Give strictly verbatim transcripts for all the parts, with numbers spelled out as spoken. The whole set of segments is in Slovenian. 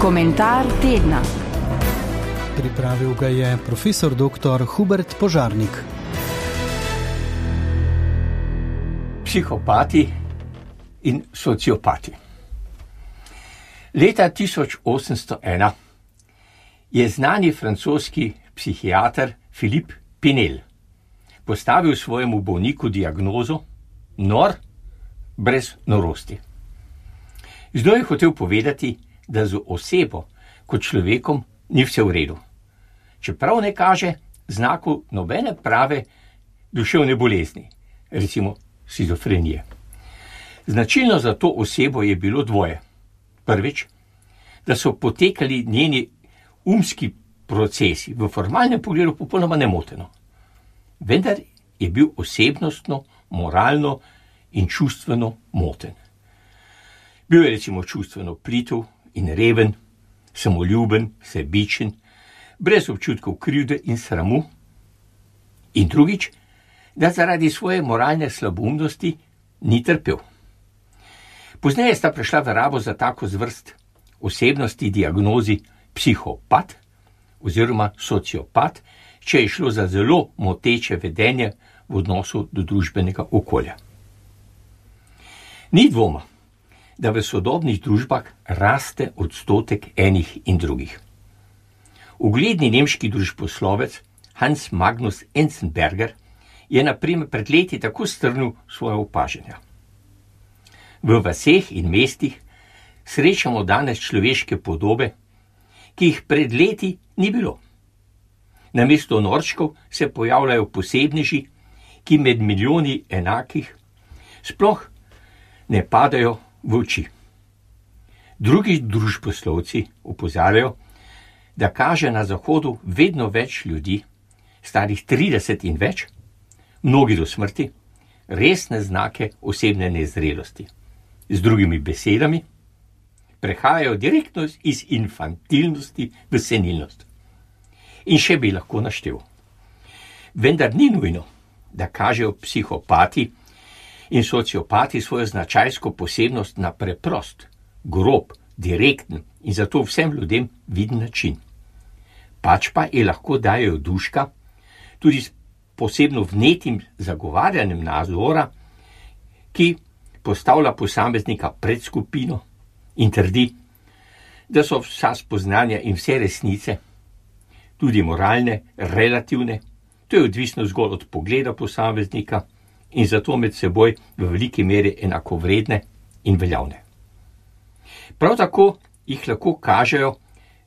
Komentar tedna. Pripravil ga je profesor doktor Hubert Požarnik. Psihopati in sociopati. Leta tisoč osemsto ena je znani francoski psihiater Philippe Pinel postavil svojemu bolniku diagnozo nor brez norosti. Z njo je hotel povedati, da z osebo kot človekom ni vse v redu, čeprav ne kaže znakov nobene prave duševne bolezni, recimo shizofrenije. Značilno za to osebo je bilo dvoje. Prvič, da so potekali njeni umski procesi v formalnem pogledu popolnoma nemoteno, vendar je bil osebnostno, moralno in čustveno moten. Bil je recimo čustveno plitev in reven, samoljuben, sebičen, brez občutkov krivde in sramu. In drugič, da zaradi svoje moralne slaboumnosti ni trpel. Pozneje sta prišla v rabo za tako zvrst osebnosti diagnozi psihopat oziroma sociopat, če je šlo za zelo moteče vedenje v odnosu do družbenega okolja. Ni dvoma, da v sodobnih družbah raste odstotek enih in drugih. Ugledni nemški družboslovec Hans Magnus Enzensberger je na primer pred leti tako strnil svoje opažanja. V vaseh in mestih srečamo danes človeške podobe, ki jih pred leti ni bilo. Namesto norčkov se pojavljajo posebneži, ki med milijoni enakih sploh ne padajo v oči. Drugi družboslovci opozarjajo, da kaže na Zahodu vedno več ljudi, starih trideset in več, mnogi do smrti, resne znake osebne nezrelosti. Z drugimi besedami, prehajajo direktno iz infantilnosti v senilnost. In še bi lahko naštel. Vendar ni nujno, da kažejo psihopati in sociopati svojo značajsko posebnost na preprost, grob, direkten in zato vsem ljudem viden način. Pač pa je lahko dajejo duška tudi s posebno vnetim zagovarjanjem nazora, ki postavlja posameznika pred skupino in trdi, da so vsa spoznanja in vse resnice, tudi moralne, relativne, to je odvisno zgolj od pogleda posameznika in zato med seboj v veliki meri enakovredne in veljavne. Prav tako jih lahko kažejo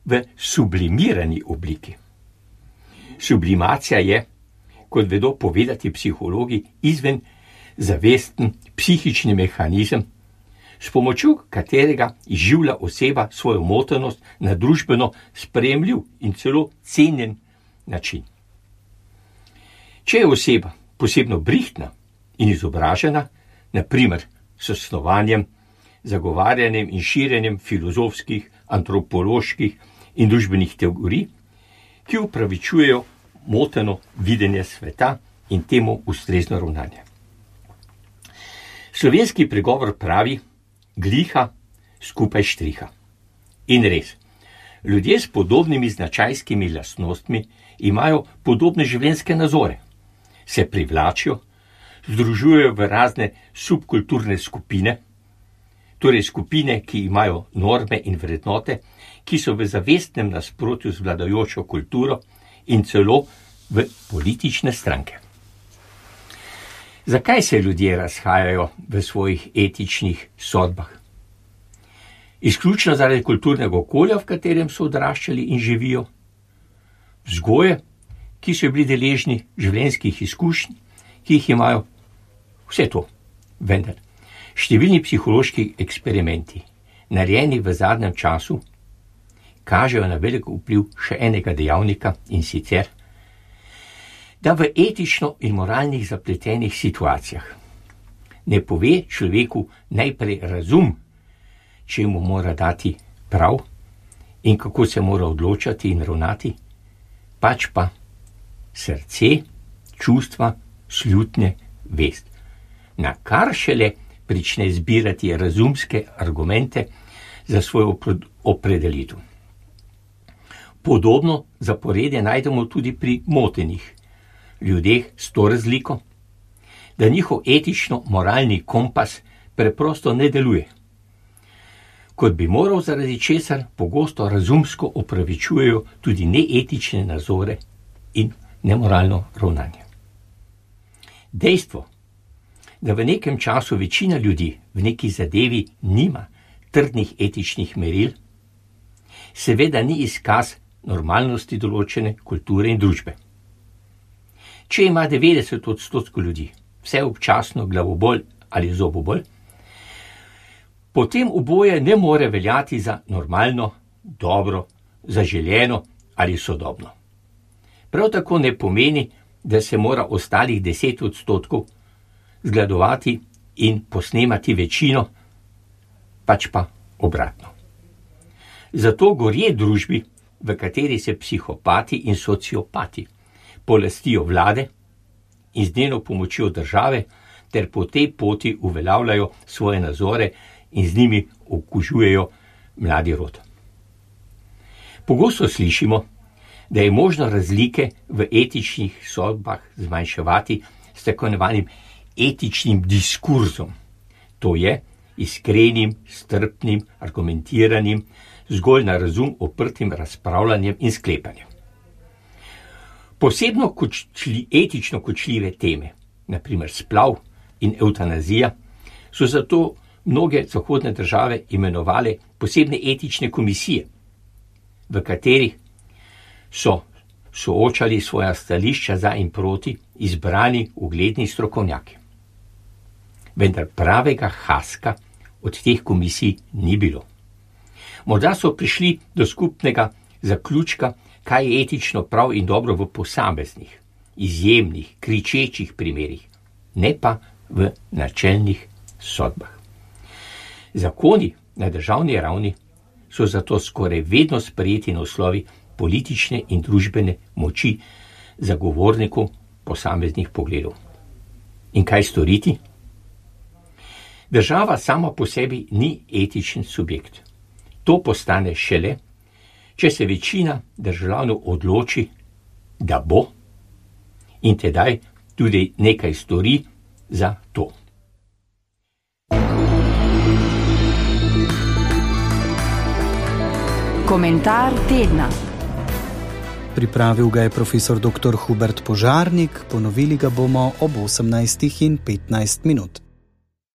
v sublimirani obliki. Sublimacija je, kot vedo povedati psihologi, izven zavesten psihični mehanizem, s pomočjo katerega izživlja oseba svojo motenost na družbeno sprejemljiv in celo cenjen način. Če je oseba posebno brihtna in izobražena, na primer s snovanjem, zagovarjanjem in širjenjem filozofskih, antropoloških in družbenih teorij, ki upravičujejo moteno videnje sveta in temu ustrezno ravnanje. Slovenski pregovor pravi, gliha skupaj štriha. In res, ljudje s podobnimi značajskimi lastnostmi imajo podobne življenjske nazore, se privlačijo, združujejo v razne subkulturne skupine, torej skupine, ki imajo norme in vrednote, ki so v zavestnem nasprotju z vladajočo kulturo in celo v politične stranke. Zakaj se ljudje razhajajo v svojih etičnih sodbah? Izključno zaradi kulturnega okolja, v katerem so odraščali in živijo, vzgoje, ki so bili deležni življenjskih izkušenj, ki jih imajo, vse to. Vendar, številni psihološki eksperimenti, narejeni v zadnjem času, kažejo na velik vpliv še enega dejavnika in sicer, da v etično in moralnih zapletenih situacijah ne pove človeku najprej razum, če mu mora dati prav in kako se mora odločati in ravnati, pač pa srce, čustva, slutnje, vest, na kar šele prične zbirati razumske argumente za svojo opredelitev. Podobno zaporedje najdemo tudi pri motenih ljudeh s to razliko, da njihov etično-moralni kompas preprosto ne deluje. Kot bi moral, zaradi česar pogosto razumsko opravičujejo tudi neetične nazore in nemoralno ravnanje. Dejstvo, da v nekem času večina ljudi v neki zadevi nima trdnih etičnih meril, seveda ni izkaz normalnosti določene kulture in družbe. Če ima devetdeset odstotkov ljudi vse občasno glavobol ali zobobol, potem oboje ne more veljati za normalno, dobro, zaželeno ali sodobno. Prav tako ne pomeni, da se mora ostalih deset odstotkov zgledovati in posnemati večino, pač pa obratno. Zato gorje družbi, v kateri se psihopati in sociopati polastijo vlade in z njeno pomočjo države ter po tej poti uveljavljajo svoje nazore in z njimi okužujejo mladi rod. Pogosto slišimo, da je možno razlike v etičnih sodbah zmanjševati s tako imenovanim etičnim diskurzom, to je iskrenim, strpnim, argumentiranim, zgolj na razum oprtim razpravljanjem in sklepanjem. Posebno kočli, etično kočljive teme, na primer splav in evtanazija, so zato mnoge zahodne države imenovale posebne etične komisije, v katerih so soočali svoja stališča za in proti izbrani ugledni strokovnjaki. Vendar pravega haska od teh komisij ni bilo. Morda so prišli do skupnega zaključka, kaj je etično prav in dobro v posameznih, izjemnih, kričečih primerih, ne pa v načelnih sodbah. Zakoni na državni ravni so zato skoraj vedno sprejeti na osnovi politične in družbene moči zagovornikov posameznih pogledov. In kaj storiti? Država sama po sebi ni etičen subjekt. To postane šele, če se večina državljanov odloči, da bo, in tedaj tudi nekaj stori za to. Komentar tedna. Pripravil ga je profesor doktor Hubert Požarnik, ponovili ga bomo ob osemnajstih in petnajst minut.